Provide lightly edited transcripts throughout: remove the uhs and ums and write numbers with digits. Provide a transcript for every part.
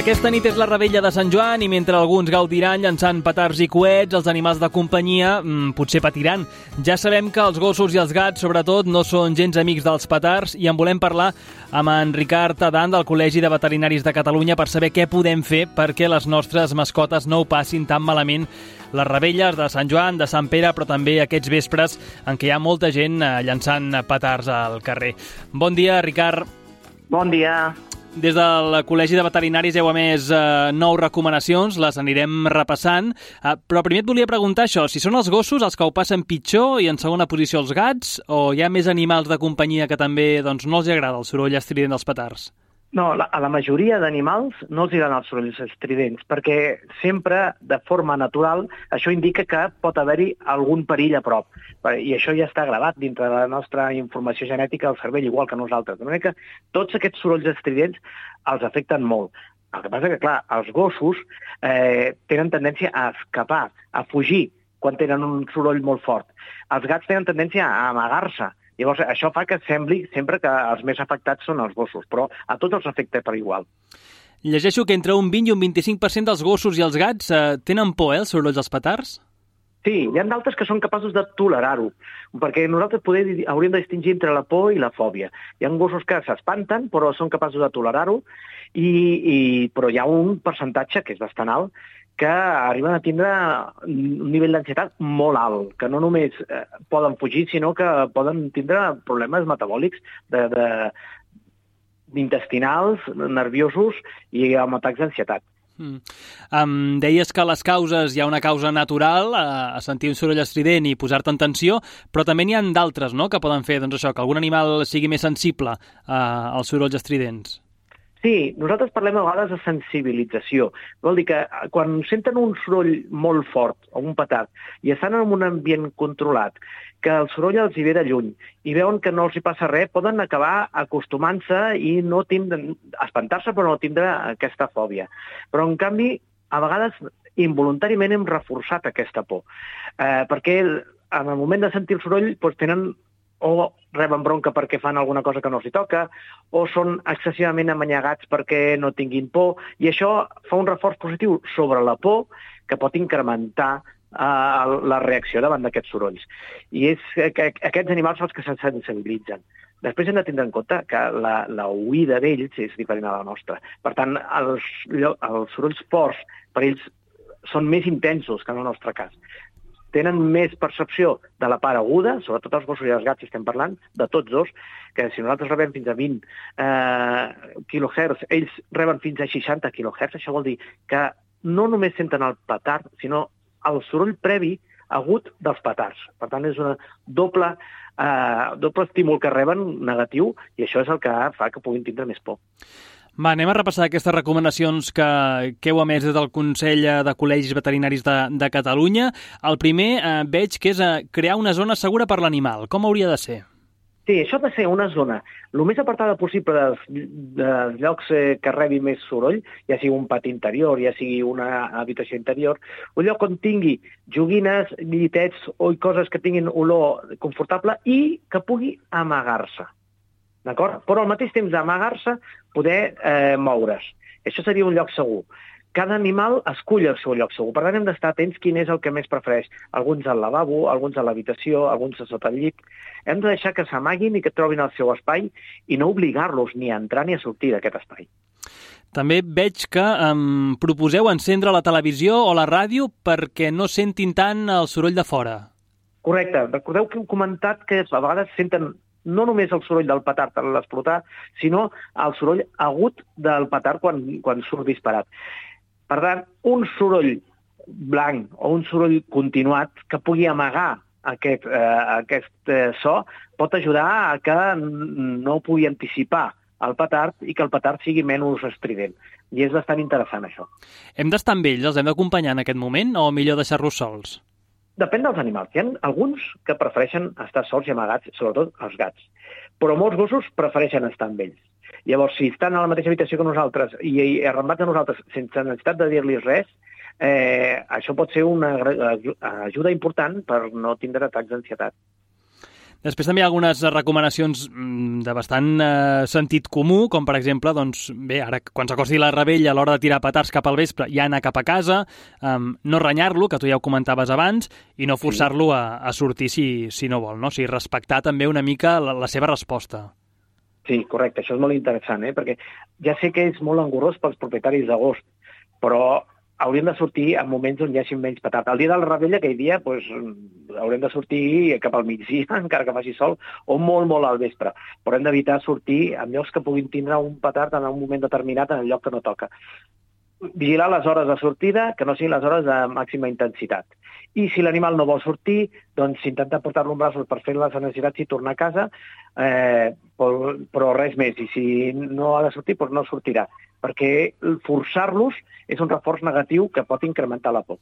Aquesta nit és la revetlla de Sant Joan i mentre alguns gaudiran llançant petards i coets, els animals de companyia potser patiran. Ja sabem que els gossos i els gats, sobretot, no són gens amics dels petards i en volem parlar amb en Ricard Adan del Col·legi de Veterinaris de Catalunya per saber què podem fer perquè les nostres mascotes no ho passin tan malament les revetlles de Sant Joan, de Sant Pere, però també aquests vespres en què hi ha molta gent llançant petards al carrer. Bon dia, Ricard. Bon dia. Des del Col·legi de Veterinaris heu emès 9 recomanacions, les anirem repassant, però primer et volia preguntar això, si són els gossos els que ho passen pitjor i en segona posició els gats, o hi ha més animals de companyia que també no els agrada el soroll estrident dels petards? No, a la majoria d'animals no els agraden els sorolls estridents, perquè sempre, de forma natural, això indica que pot haver-hi algun perill a prop. I això ja està gravat dintre de la nostra informació genètica al cervell, igual que nosaltres. De manera que tots aquests sorolls estridents els afecten molt. El que passa que, clar, els gossos tenen tendència a escapar, a fugir, quan tenen un soroll molt fort. Els gats tenen tendència a amagar-se. Llavors, això fa que sembli sempre que els més afectats són els gossos, però a tots els afecta per igual. Llegeixo que entre un 20 i un 25% dels gossos i els gats tenen por, els sorolls dels petards? Sí, hi ha d'altres que són capaços de tolerar-ho, perquè nosaltres hauríem de distingir entre la por i la fòbia. Hi ha gossos que s'espanten, però són capaços de tolerar-ho, però hi ha un percentatge, que és bastant alt, que arriben a tindre un nivell d'ansietat molt alt, que no només poden fugir, sinó que poden tindre problemes metabòlics intestinals, nerviosos i amb atacs d'ansietat. Deies que a les causes hi ha una causa natural, a sentir un soroll estrident i posar-te en tensió, però també n'hi ha d'altres, no?, que poden fer això, que algun animal sigui més sensible als sorolls estridents. Sí, nosaltres parlem a vegades de sensibilització. Vol dir que quan senten un soroll molt fort, o un petard, i estan en un ambient controlat, que el soroll els hi ve de lluny, i veuen que no els hi passa res, poden acabar acostumant-se i no espantar-se, però no tindre aquesta fòbia. Però, en canvi, a vegades, involuntàriament hem reforçat aquesta por, perquè en el moment de sentir el soroll tenen o reben bronca perquè fan alguna cosa que no els hi toca, o són excessivament amanyagats perquè no tinguin por, i això fa un reforç positiu sobre la por que pot incrementar la reacció davant d'aquests sorolls. I és que aquests animals són els que se sensibilitzen. Després hem de tindre en compte que la oïda d'ells és diferent a la nostra. Per tant, els sorolls forts per ells són més intensos que en el nostre cas. Tenen més percepció de la part aguda, sobretot els gossos i els gats, si estem parlant, de tots dos, que si nosaltres rebem fins a 20 kHz, ells reben fins a 60 kHz, això vol dir que no només senten el petard, sinó el soroll previ agut dels petards. Per tant, és un doble estímul que reben negatiu, i això és el que fa que puguin tindre més por. Va, anem a repassar aquestes recomanacions que heu emès des del Consell de Col·legis Veterinaris de Catalunya. El primer veig que és crear una zona segura per l'animal. Com hauria de ser? Sí, això ha de ser una zona el més apartada possible dels llocs que rebi més soroll, ja sigui un pati interior, ja sigui una habitació interior, un lloc on tingui joguines, llitets o coses que tinguin olor confortable i que pugui amagar-se. D'acord? Però al mateix temps d'amagar-se, poder moure's. Això seria un lloc segur. Cada animal escull el seu lloc segur. Per tant, hem d'estar atents quin és el que més prefereix. Alguns al lavabo, alguns a l'habitació, alguns a sota el llit. Hem de deixar que s'amaguin i que trobin el seu espai i no obligar-los ni a entrar ni a sortir d'aquest espai. També veig que proposeu encendre la televisió o la ràdio perquè no sentin tant el soroll de fora. Correcte. Recordeu que hem comentat que a vegades senten no només el soroll del petard a l'explotar, sinó el soroll agut del petard quan surt disparat. Per tant, un soroll blanc o un soroll continuat que pugui amagar aquest so pot ajudar a que no pugui anticipar el petard i que el petard sigui menys estrident. I és bastant interessant, això. Hem d'estar amb ells? Els hem d'acompanyar en aquest moment o millor deixar-los sols? Depèn dels animals. Hi ha alguns que prefereixen estar sols i amagats, sobretot els gats. Però molts gossos prefereixen estar amb ells. Llavors, si estan a la mateixa habitació que nosaltres i arrambats a nosaltres sense necessitat de dir-los res, això pot ser una ajuda important per no tindre atacs d'ansietat. Després també hi ha algunes recomanacions de bastant sentit comú, com per exemple, doncs, bé, ara quan s'acosti la revetlla a l'hora de tirar petards cap al vespre ja anar cap a casa, no renyar-lo, que tu ja ho comentaves abans, i no forçar-lo a sortir si no vol, no? O sigui, respectar també una mica la seva resposta. Sí, correcte, això és molt interessant, perquè ja sé que és molt engorrós pels propietaris d'agost, però hauríem de sortir en moments on hi hagi menys petard. El dia de la revetlla, aquell dia, haurem de sortir cap al migdia, encara que faci sol, o molt, molt al vespre. Però hem d'evitar sortir en llocs que puguin tindre un petard en un moment determinat en el lloc que no toca. Vigilar les hores de sortida, que no siguin les hores de màxima intensitat. I si l'animal no vol sortir, doncs intentar portar-lo en braços per fer les necessitats i tornar a casa, però res més. I si no ha de sortir, doncs no sortirà, perquè forçar-los és un reforç negatiu que pot incrementar la por.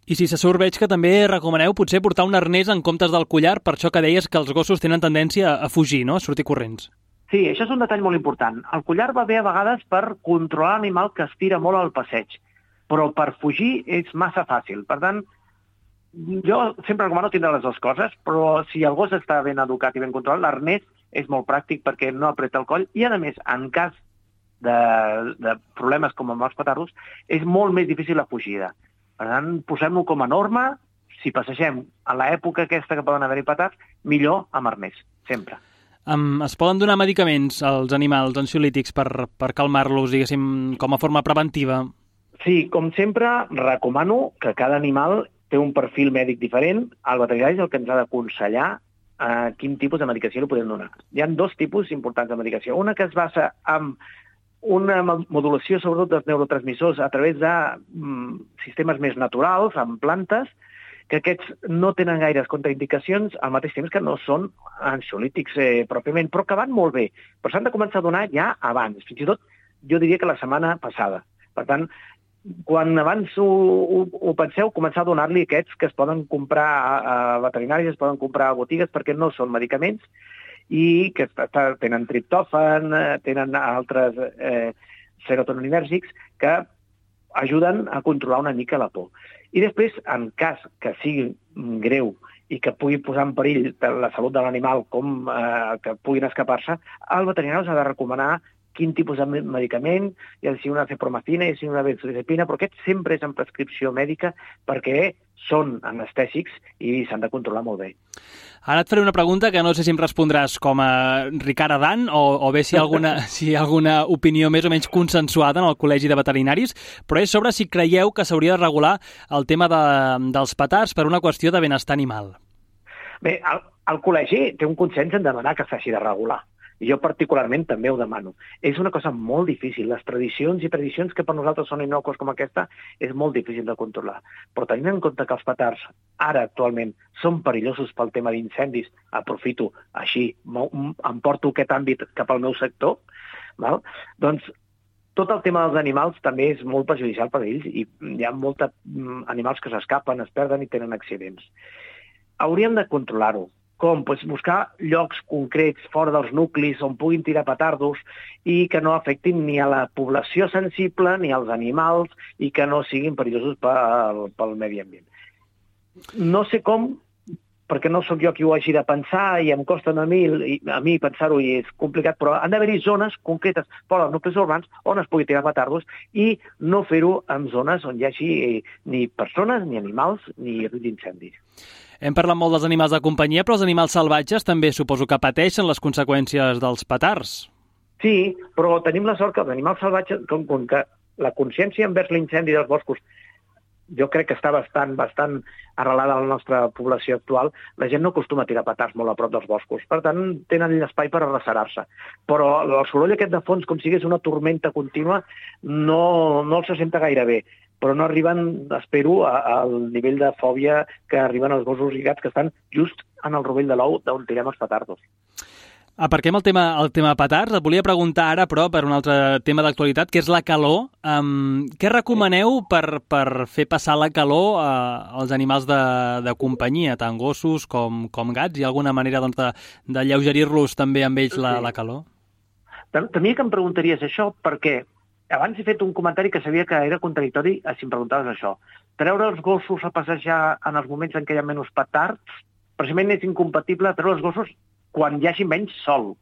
I si se surt, veig que també recomaneu potser portar un arnès en comptes del collar, per això que deies que els gossos tenen tendència a fugir, no? A sortir corrents. Sí, això és un detall molt important. El collar va bé a vegades per controlar l'animal que estira molt al passeig, però per fugir és massa fàcil. Per tant, jo sempre recomano tindre les dues coses, però si el gos està ben educat i ben controlat, l'arnès és molt pràctic perquè no apreta el coll i, a més, en cas de problemes com amb els petardos, és molt més difícil la fugida. Per tant, posem-lo com a norma. Si passegem a l'època aquesta que poden haver-hi petards, millor amb arnès, sempre. Es poden donar medicaments als animals ansiolítics per calmar-los, diguéssim, com a forma preventiva? Sí, com sempre, recomano que cada animal té un perfil mèdic diferent. El veterinari és el que ens ha d'aconsellar quin tipus de medicació li podem donar. Hi ha dos tipus importants de medicació. Una que es basa en una modulació, sobretot, dels neurotransmissors a través de sistemes més naturals, en plantes, que aquests no tenen gaires contraindicacions, al mateix temps que no són ansiolítics pròpiament, però que van molt bé. Però s'han de començar a donar ja abans, fins i tot jo diria que la setmana passada. Per tant, quan abans ho penseu, començar a donar-li aquests que es poden comprar a veterinaris, es poden comprar a botigues, perquè no són medicaments, i que tenen triptòfan, tenen altres serotoninèrgics que ajuden a controlar una mica la por. I després, en cas que sigui greu i que pugui posar en perill la salut de l'animal, com que puguin escapar-se, el veterinari us ha de recomanar quin tipus de medicament, ja si una cepromacina, ja si una benzodiazepina, però aquest sempre és en prescripció mèdica perquè són anestèsics i s'han de controlar molt bé. Ara et faré una pregunta que no sé si em respondràs com a Ricard Adan o bé si hi ha alguna opinió més o menys consensuada en el Col·legi de Veterinaris, però és sobre si creieu que s'hauria de regular el tema dels petards per una qüestió de benestar animal. Bé, el col·legi té un consens en demanar que s'hagi de regular. I jo particularment també ho demano. És una cosa molt difícil. Les tradicions que per nosaltres són innòcues com aquesta és molt difícil de controlar. Però tenint en compte que els petards ara actualment són perillosos pel tema d'incendis, aprofito així, em porto aquest àmbit cap al meu sector, val? Doncs tot el tema dels animals també és molt perjudicial per a ells i hi ha molts animals que s'escapen, es perden i tenen accidents. Hauríem de controlar-ho. Com? Buscar llocs concrets fora dels nuclis on puguin tirar petardos i que no afectin ni a la població sensible ni als animals i que no siguin perillosos pel medi ambient. No sé com, perquè no sóc jo qui ho hagi de pensar i em costa a mi pensar-ho i és complicat, però han d'haver-hi zones concretes fora dels nuclis urbans on es pugui tirar petardos i no fer-ho en zones on hi hagi ni persones, ni animals, ni risc d'incendis. Hem parlat molt dels animals de companyia, però els animals salvatges també suposo que pateixen les conseqüències dels petards. Sí, però tenim la sort que els animals salvatges, com que la consciència envers l'incendi dels boscos jo crec que està bastant arrelada a la nostra població actual, la gent no acostuma a tirar petards molt a prop dels boscos. Per tant, tenen l'espai per arrecerar-se. Però el soroll aquest de fons, com si hagués una tormenta contínua, no els se senta gaire bé. Però no arriben, espero, al nivell de fòbia que arriben els gossos i gats que estan just en el rovell de l'ou d'on tirem els petardos. Aparquem el tema petards. Et volia preguntar ara, però, per un altre tema d'actualitat, que és la calor. Què recomaneu per fer passar la calor als animals de companyia, tant gossos com gats? Hi ha alguna manera d'alleugerir-los també amb ells la calor? Temia que em preguntaries això perquè abans he fet un comentari que sabia que era contradictori si em preguntaves això. Treure els gossos a passejar en els moments en què hi ha menys petards precisament és incompatible treure els gossos quan hi hagi menys sol.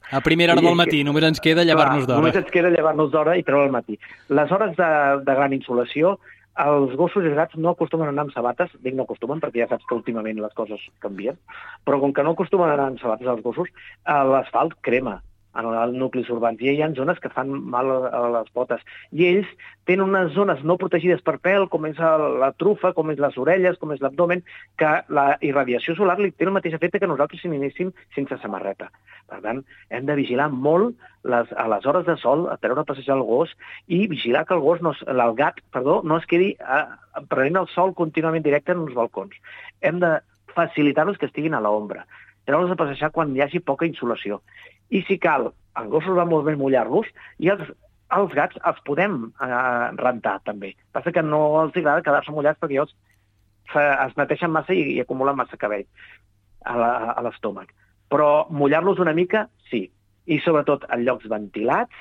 A primera hora del matí, només ens queda llevar-nos d'hora. Només ens queda llevar-nos d'hora i treure al matí. Les hores de gran insolació, els gossos i els gats no acostumen a anar amb sabates, dic no acostumen perquè ja saps que últimament les coses canvien, però com que no acostumen a anar amb sabates els gossos, l'asfalt crema en els nuclis urbans, i hi ha zones que fan mal a les potes. I ells tenen unes zones no protegides per pèl, com és la trufa, com és les orelles, com és l'abdomen, que la irradiació solar li té el mateix efecte que nosaltres si anéssim sense samarreta. Per tant, hem de vigilar molt a les hores de sol, a treure a passejar el gos, i vigilar que el gat no es quedi prenent el sol contínuament directe en uns balcons. Hem de facilitar-los que estiguin a l'ombra, treure'ls a passejar quan hi hagi poca insolació. I si cal, els gossos va molt bé mullar-los, i els gats els podem rentar, també. Passa que no els agrada quedar-se mullats perquè llavors es neteixen massa i acumulen massa cabell a l'estómac. Però mullar-los una mica, sí. I sobretot en llocs ventilats,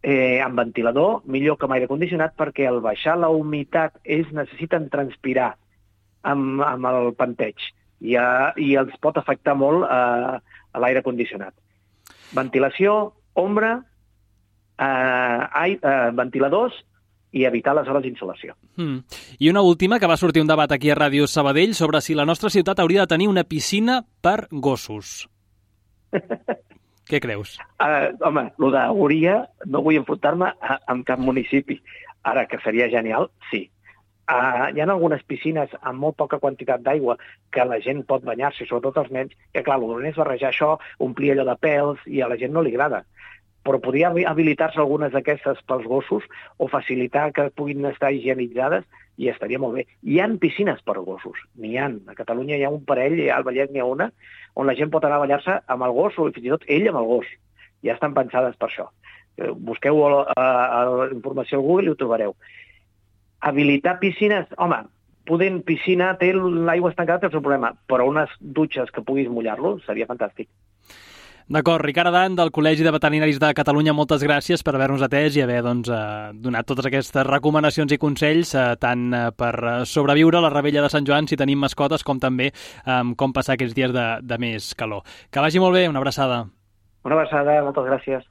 amb ventilador, millor que amb aire condicionat, perquè al baixar la humitat ells necessiten transpirar amb el panteig i els pot afectar molt a l'aire condicionat. Ventilació, ombra, ventiladors i evitar les hores d'insolació. I una última, que va sortir un debat aquí a Ràdio Sabadell sobre si la nostra ciutat hauria de tenir una piscina per gossos. Què creus? Home, el d'hauria no vull enfrontar-me amb cap municipi. Ara, que seria genial, sí. Hi ha algunes piscines amb molt poca quantitat d'aigua que la gent pot banyar-se, sobretot els nens, que clar, el dolent és barrejar això, omplir allò de pèls, i a la gent no li agrada. Però podria habilitar-se algunes d'aquestes pels gossos o facilitar que puguin estar higienitzades i estaria molt bé. Hi ha piscines per gossos, n'hi ha. A Catalunya hi ha un parell, al Vallès n'hi ha una, on la gent pot anar a banyar-se amb el gos o fins i tot ell amb el gos. Ja estan pensades per això. Busqueu informació al Google i ho trobareu. Habilitar piscines, home, piscina té l'aigua estancada, té el seu problema, però unes dutxes que puguis mullar-lo seria fantàstic. D'acord, Ricard Adan, del Col·legi de Veterinaris de Catalunya, moltes gràcies per haver-nos atès i haver donat totes aquestes recomanacions i consells, tant per sobreviure a la Revetlla de Sant Joan si tenim mascotes, com també com passar aquests dies de més calor. Que vagi molt bé, una abraçada. Una abraçada, moltes gràcies.